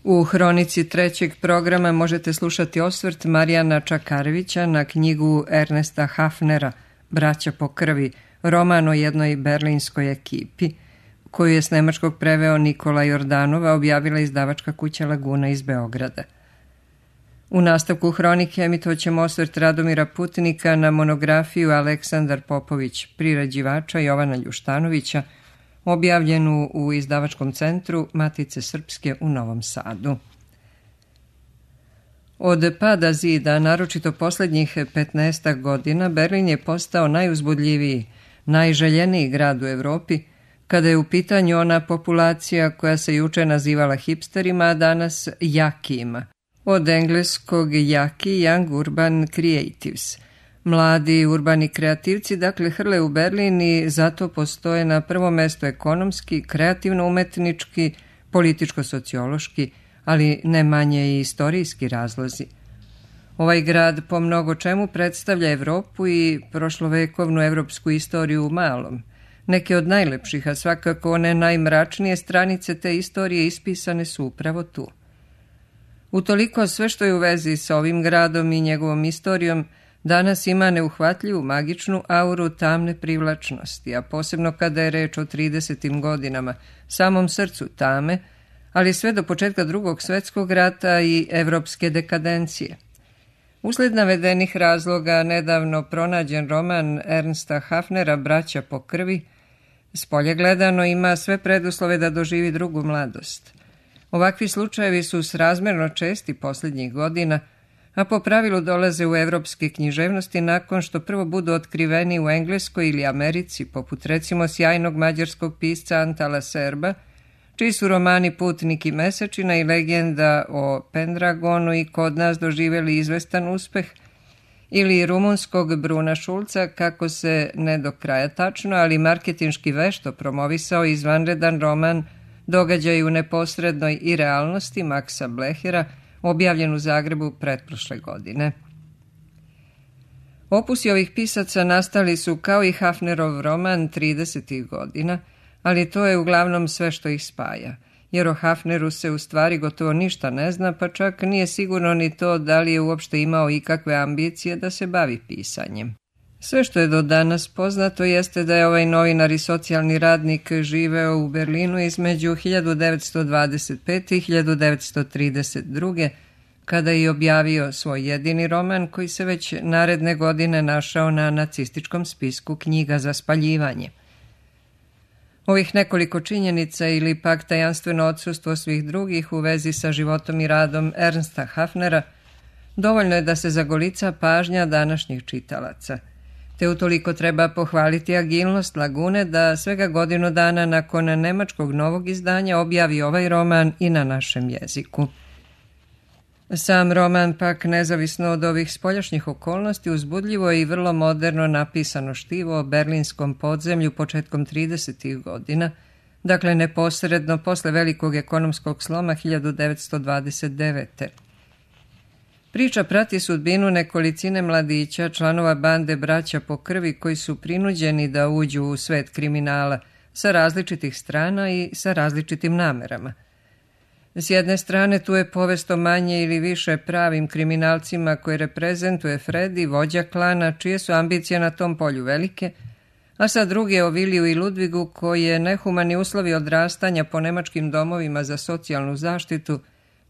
U hronici trećeg programa možete slušati osvrt Marijana Čakarevića na knjigu Ernesta Hafnera Braća po krvi, roman o jednoj berlinskoj ekipi, koju je s nemačkog preveo Nikola Jordanova, objavila izdavačka kuća Laguna iz Beograda. U nastavku hronike emitovaćemo osvrt Radomira Putnika na monografiju Aleksandar Popović, priređivača Jovana Ljuštanovića, objavljenu u izdavačkom centru Matice Srpske u Novom Sadu. Od pada zida, naročito posljednjih 15 godina, Berlin je postao najuzbudljiviji, najželjeniji grad u Evropi, kada je u pitanju ona populacija koja se juče nazivala hipsterima, a danas jakijima. Od engleskog jaki, Young Urban Creatives. Mladi urbani kreativci dakle hrle u Berlin i zato postoje na prvom mestu ekonomski, kreativno-umetnički, političko-sociološki, ali ne manje i istorijski razlozi. Ovaj grad po mnogo čemu predstavlja Evropu i prošlovekovnu evropsku istoriju u malom. Neke od najlepših, a svakako one najmračnije stranice te istorije ispisane su upravo tu. Utoliko sve što je u vezi sa ovim gradom i njegovom istorijom danas ima neuhvatljivu magičnu auru tamne privlačnosti, a posebno kada je reč o 30. godinama, samom srcu tame, ali sve do početka Drugog svjetskog rata i evropske dekadencije. Usled navedenih razloga nedavno pronađen roman Ernsta Hafnera Braća po krvi, spolje gledano, ima sve preduslove da doživi drugu mladost. Ovakvi slučajevi su srazmjerno česti posljednjih godina, a po pravilu dolaze u evropske književnosti nakon što prvo budu otkriveni u Engleskoj ili Americi, poput recimo sjajnog mađarskog pisca Antala Serba, čiji su romani Putnik i Mesečina i Legenda o Pendragonu i kod nas doživjeli izvestan uspeh, ili rumunskog Bruna Šulca, kako se ne do kraja tačno, ali marketinški vešto promovisao izvanredan roman Događaj u neposrednoj i realnosti Maksa Blehera, objavljen u Zagrebu pretprošle godine. Opusi ovih pisaca nastali su kao i Hafnerov roman 30. godina, ali to je uglavnom sve što ih spaja, jer o Hafneru se u stvari gotovo ništa ne zna, pa čak nije sigurno ni to da li je uopšte imao ikakve ambicije da se bavi pisanjem. Sve što je do danas poznato jeste da je ovaj novinar i socijalni radnik živeo u Berlinu između 1925. i 1932. kada je objavio svoj jedini roman koji se već naredne godine našao na nacističkom spisku knjiga za spaljivanje. Ovih nekoliko činjenica ili pak tajanstveno odsustvo svih drugih u vezi sa životom i radom Ernsta Hafnera dovoljno je da se zagolica pažnja današnjih čitalaca. Te utoliko treba pohvaliti agilnost Lagune da svega godinu dana nakon nemačkog novog izdanja objavi ovaj roman i na našem jeziku. Sam roman pak, nezavisno od ovih spoljašnjih okolnosti, uzbudljivo je i vrlo moderno napisano štivo o berlinskom podzemlju početkom 30. godina, dakle neposredno posle velikog ekonomskog sloma 1929. Priča prati sudbinu nekolicine mladića, članova bande Braća po krvi, koji su prinuđeni da uđu u svet kriminala sa različitih strana i sa različitim namerama. S jedne strane tu je povest o manje ili više pravim kriminalcima koje reprezentuje Fredi, vođa klana, čije su ambicije na tom polju velike, a sa druge o Viliju i Ludvigu, koje nehumani uslovi odrastanja po nemačkim domovima za socijalnu zaštitu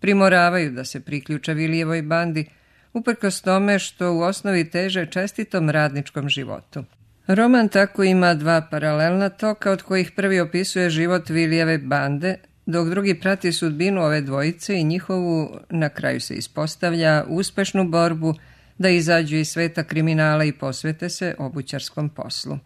primoravaju da se priključe Vilijevoj bandi, uprkos tome što u osnovi teže čestitom radničkom životu. Roman tako ima dva paralelna toka, od kojih prvi opisuje život Vilijeve bande, dok drugi prati sudbinu ove dvojice i njihovu, na kraju se ispostavlja, uspešnu borbu da izađu iz sveta kriminala i posvete se obućarskom poslu.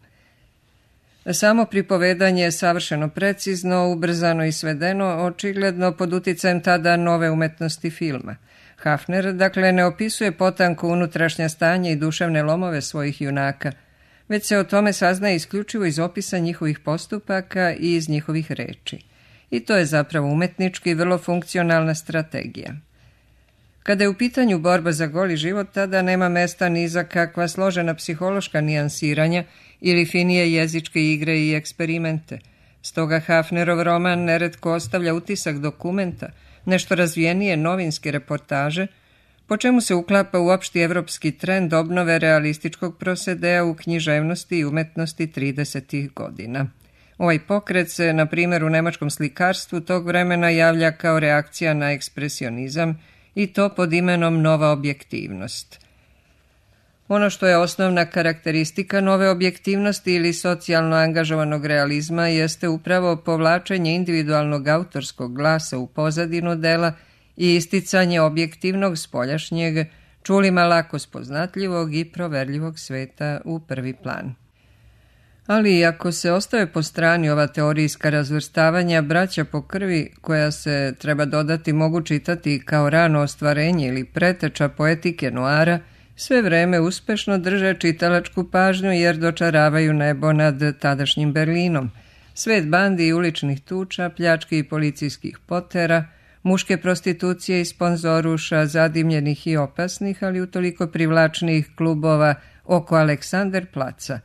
Samo pripovedanje je savršeno precizno, ubrzano i svedeno, očigledno pod uticajem tada nove umetnosti filma. Hafner, dakle, ne opisuje potanko unutrašnja stanja i duševne lomove svojih junaka, već se o tome saznaje isključivo iz opisa njihovih postupaka i iz njihovih reči. I to je zapravo umetnički i vrlo funkcionalna strategija. Kada je u pitanju borba za goli život, tada nema mesta ni za kakva složena psihološka nijansiranja ili finije jezičke igre i eksperimente. Stoga Hafnerov roman neretko ostavlja utisak dokumenta, nešto razvijenije novinske reportaže, po čemu se uklapa u opšti evropski trend obnove realističkog prosedea u književnosti i umetnosti 30. godina. Ovaj pokret se, na primjer, u nemačkom slikarstvu tog vremena javlja kao reakcija na ekspresionizam i to pod imenom nova objektivnost. Ono što je osnovna karakteristika nove objektivnosti ili socijalno angažovanog realizma jeste upravo povlačenje individualnog autorskog glasa u pozadinu dela i isticanje objektivnog spoljašnjeg, čulima lako spoznatljivog i proverljivog sveta u prvi plan. Ali i ako se ostave po strani ova teorijska razvrstavanja, braća po krvi, koja se, treba dodati, mogu čitati kao rano ostvarenje ili preteča poetike noara, sve vreme uspešno drže čitalačku pažnju jer dočaravaju nebo nad tadašnjim Berlinom. Svet bandi i uličnih tuča, pljački i policijskih potera, muške prostitucije i sponzoruša, zadimljenih i opasnih, ali utoliko privlačnih klubova oko Aleksanderplaca.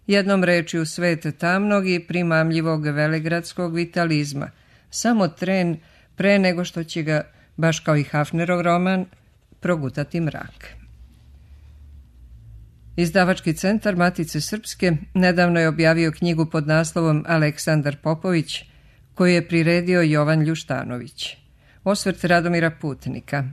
Jednom rečju svet tamnog i primamljivog velegradskog vitalizma. Samo tren pre nego što će ga, baš kao i Hafnerov roman, progutati mrak. Izdavački centar Matice Srpske nedavno je objavio knjigu pod naslovom Aleksandar Popović, koju je priredio Jovan Ljuštanović. Osvrt Radomira Putnika.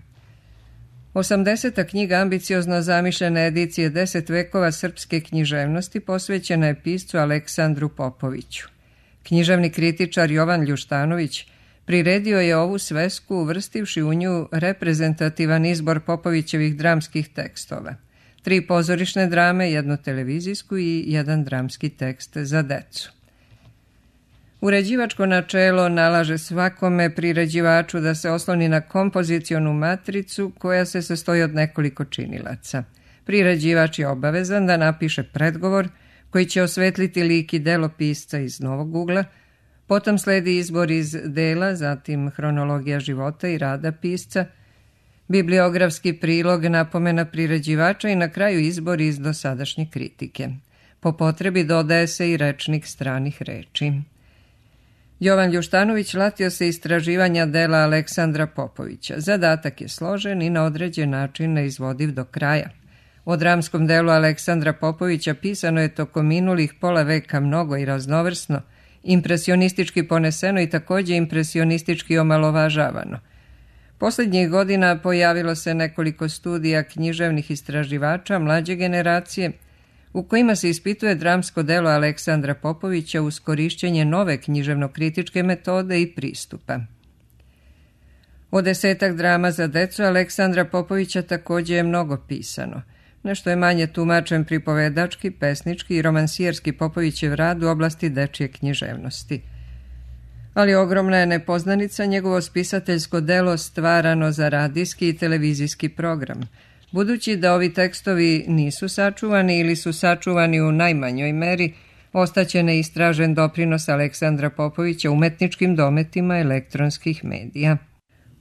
80. knjiga ambiciozno zamišljene edicije 10 vekova srpske književnosti posvećena je piscu Aleksandru Popoviću. Književni kritičar Jovan Ljuštanović priredio je ovu svesku uvrstivši u nju reprezentativan izbor Popovićevih dramskih tekstova. 3 pozorišne drame, 1 televizijsku i 1 dramski tekst za decu. Uređivačko načelo nalaže svakome priređivaču da se osloni na kompozicionu matricu koja se sastoji od nekoliko činilaca. Priređivač je obavezan da napiše predgovor koji će osvetliti lik i delo pisca iz novog ugla, potom sledi izbor iz dela, zatim hronologija života i rada pisca, bibliografski prilog, napomena priređivača i na kraju izbor iz dosadašnje kritike. Po potrebi dodaje se i rečnik stranih reči. Jovan Ljuštanović latio se istraživanja dela Aleksandra Popovića. Zadatak je složen i na određen način neizvodiv do kraja. O dramskom delu Aleksandra Popovića pisano je tokom minulih pola veka mnogo i raznovrsno, impresionistički poneseno i također impresionistički omalovažavano. Posljednjih godina pojavilo se nekoliko studija književnih istraživača mlađe generacije u kojima se ispituje dramsko delo Aleksandra Popovića uz korišćenje nove književno-kritičke metode i pristupa. O 10 drama za decu Aleksandra Popovića također je mnogo pisano. Nešto je manje tumačen pripovedački, pesnički i romansijerski Popovićev rad u oblasti dečje književnosti. Ali ogromna je nepoznanica njegovo spisateljsko delo stvarano za radijski i televizijski program. Budući da ovi tekstovi nisu sačuvani ili su sačuvani u najmanjoj meri, ostaće neistražen doprinos Aleksandra Popovića umetničkim dometima elektronskih medija.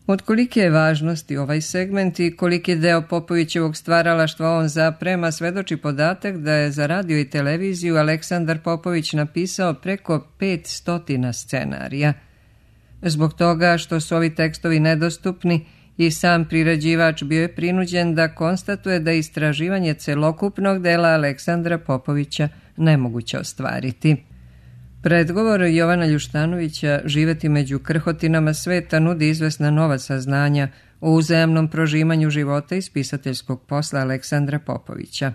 Od kolike je važnosti ovaj segment i koliki deo Popovićevog stvaralaštva on zaprema svedoči podatak da je za radio i televiziju Aleksandar Popović napisao preko 500 scenarija. Zbog toga što su ovi tekstovi nedostupni, i sam priređivač bio je prinuđen da konstatuje da istraživanje celokupnog dela Aleksandra Popovića nemoguće ostvariti. Predgovor Jovana Ljuštanovića živeti među krhotinama sveta nudi izvesna nova saznanja o uzajamnom prožimanju života iz pisateljskog posla Aleksandra Popovića.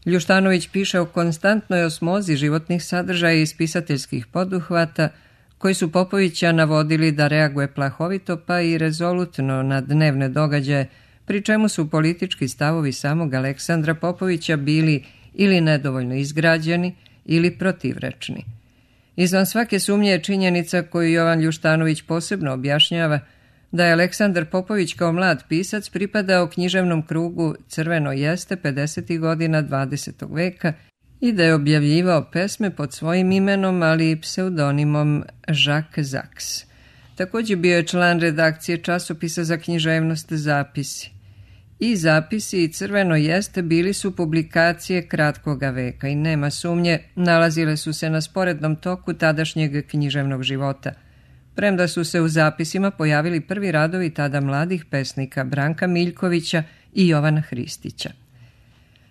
Ljuštanović piše o konstantnoj osmozi životnih sadržaja iz pisateljskih poduhvata koji su Popovića navodili da reaguje plahovito pa i rezolutno na dnevne događaje, pri čemu su politički stavovi samog Aleksandra Popovića bili ili nedovoljno izgrađeni ili protivrečni. Izvan svake sumnje je činjenica koju Jovan Ljuštanović posebno objašnjava da je Aleksandar Popović kao mlad pisac pripadao književnom krugu Crveno jeste 50. godina 20. veka i da je objavljivao pesme pod svojim imenom, ali i pseudonimom Jacques Zaks. Također bio je član redakcije časopisa za književnost Zapisi. I zapisi i Crveno jeste bili su publikacije kratkoga veka i nema sumnje, nalazile su se na sporednom toku tadašnjeg književnog života, premda su se u zapisima pojavili prvi radovi tada mladih pesnika Branka Miljkovića i Jovana Hristića.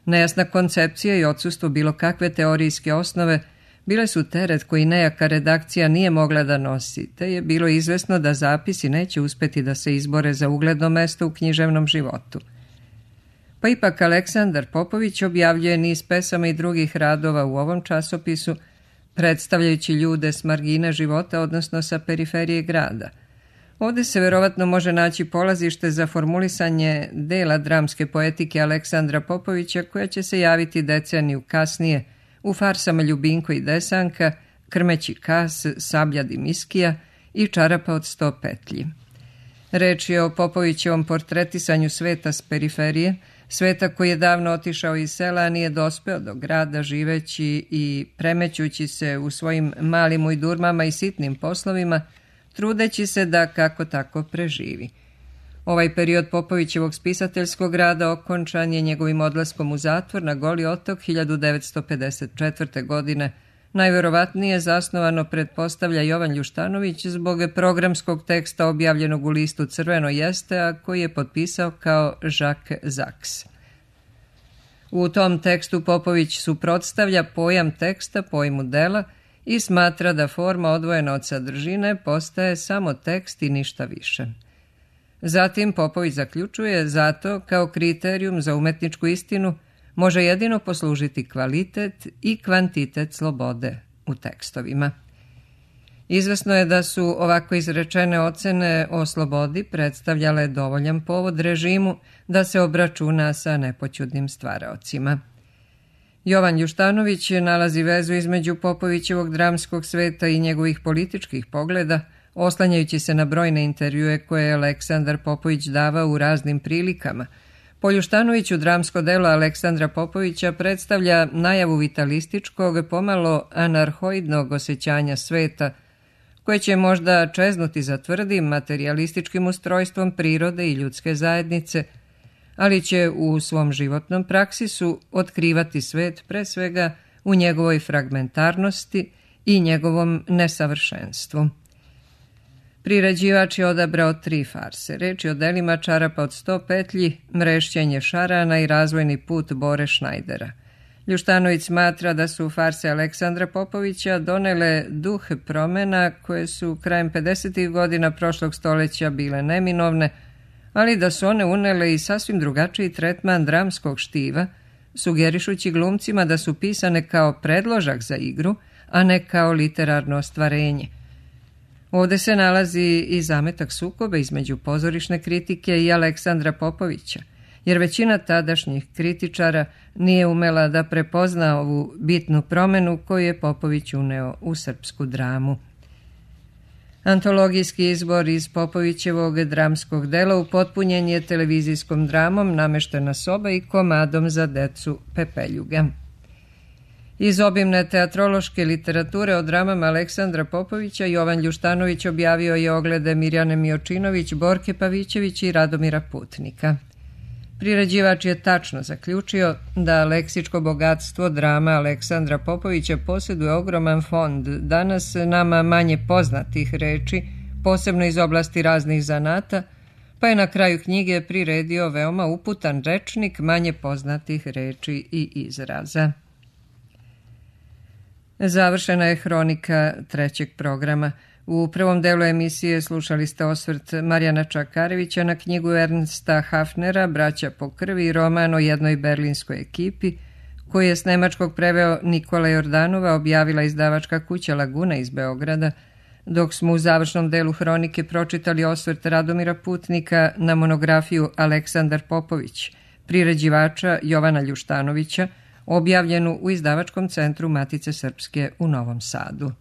Nejasna koncepcija i odsustvo bilo kakve teorijske osnove bile su teret koji nejaka redakcija nije mogla da nosi, te je bilo izvesno da zapisi neće uspeti da se izbore za ugledno mesto u književnom životu. Pa ipak Aleksandar Popović objavljuje niz pesama i drugih radova u ovom časopisu, predstavljajući ljude s margine života, odnosno sa periferije grada. Ovdje se verovatno može naći polazište za formulisanje dela dramske poetike Aleksandra Popovića, koja će se javiti deceniju kasnije u farsama Ljubinko i Desanka, Krmeći kas, Sablja Dimiskija i Čarapa od 100 petlji. Reč je o Popovićevom portretisanju sveta s periferije, sveta koji je davno otišao iz sela, a nije dospeo do grada, živeći i premećući se u svojim malim ujdurmama i sitnim poslovima, trudeći se da kako tako preživi. Ovaj period Popovićevog spisateljskog rada okončan je njegovim odlaskom u zatvor na Goli otok 1954. godine. Najverovatnije zasnovano pretpostavlja Jovan Ljuštanović zbog programskog teksta objavljenog u listu Crveno jeste, a koji je potpisao kao Jacques Zaks. U tom tekstu Popović suprotstavlja pojam teksta pojmu dela i smatra da forma odvojena od sadržine postaje samo tekst i ništa više. Zatim Popović zaključuje, zato kao kriterijum za umetničku istinu može jedino poslužiti kvalitet i kvantitet slobode u tekstovima. Izvesno je da su ovako izrečene ocene o slobodi predstavljale dovoljan povod režimu da se obračuna sa nepoćudnim stvaraocima. Jovan Ljuštanović nalazi vezu između Popovićevog dramskog sveta i njegovih političkih pogleda, oslanjajući se na brojne intervjue koje je Aleksandar Popović davao u raznim prilikama. Po Ljuštanoviću dramsko delo Aleksandra Popovića predstavlja najavu vitalističkog, pomalo anarhoidnog osjećanja sveta, koje će možda čeznuti za tvrdim materijalističkim ustrojstvom prirode i ljudske zajednice, ali će u svom životnom praksisu otkrivati svet pre svega u njegovoj fragmentarnosti i njegovom nesavršenstvu. Priređivač je odabrao 3 farse. Reč je o delima Čarapa od 100 petlji, Mrešćenje šarana i Razvojni put Bore Šnajdera. Ljuštanović smatra da su farse Aleksandra Popovića donele duh promena koje su krajem 50. godina prošlog stoljeća bile neminovne, ali da su one unele i sasvim drugačiji tretman dramskog štiva, sugerišući glumcima da su pisane kao predložak za igru, a ne kao literarno ostvarenje. Ovdje se nalazi i zametak sukoba između pozorišne kritike i Aleksandra Popovića, jer većina tadašnjih kritičara nije umela da prepozna ovu bitnu promenu koju je Popović uneo u srpsku dramu. Antologijski izbor iz Popovićevog dramskog dela upotpunjen je televizijskom dramom Nameštena soba i komadom za decu Pepeljuga. Iz obimne teatrološke literature o dramama Aleksandra Popovića Jovan Ljuštanović objavio je oglede Mirjane Miočinović, Borke Pavićević i Radomira Putnika. Priređivač je tačno zaključio da leksičko bogatstvo drama Aleksandra Popovića posjeduje ogroman fond danas nama manje poznatih reči, posebno iz oblasti raznih zanata, pa je na kraju knjige priredio veoma uputan rečnik manje poznatih reči i izraza. Završena je hronika 3. programa. U prvom delu emisije slušali ste osvrt Marijana Čakarevića na knjigu Ernsta Hafnera Braća po krvi i roman o jednoj berlinskoj ekipi, koji je s nemačkog preveo Nikola Jordanova, objavila izdavačka kuća Laguna iz Beograda, dok smo u završnom delu hronike pročitali osvrt Radomira Putnika na monografiju Aleksandar Popović, priređivača Jovana Ljuštanovića, objavljenu u izdavačkom centru Matice Srpske u Novom Sadu.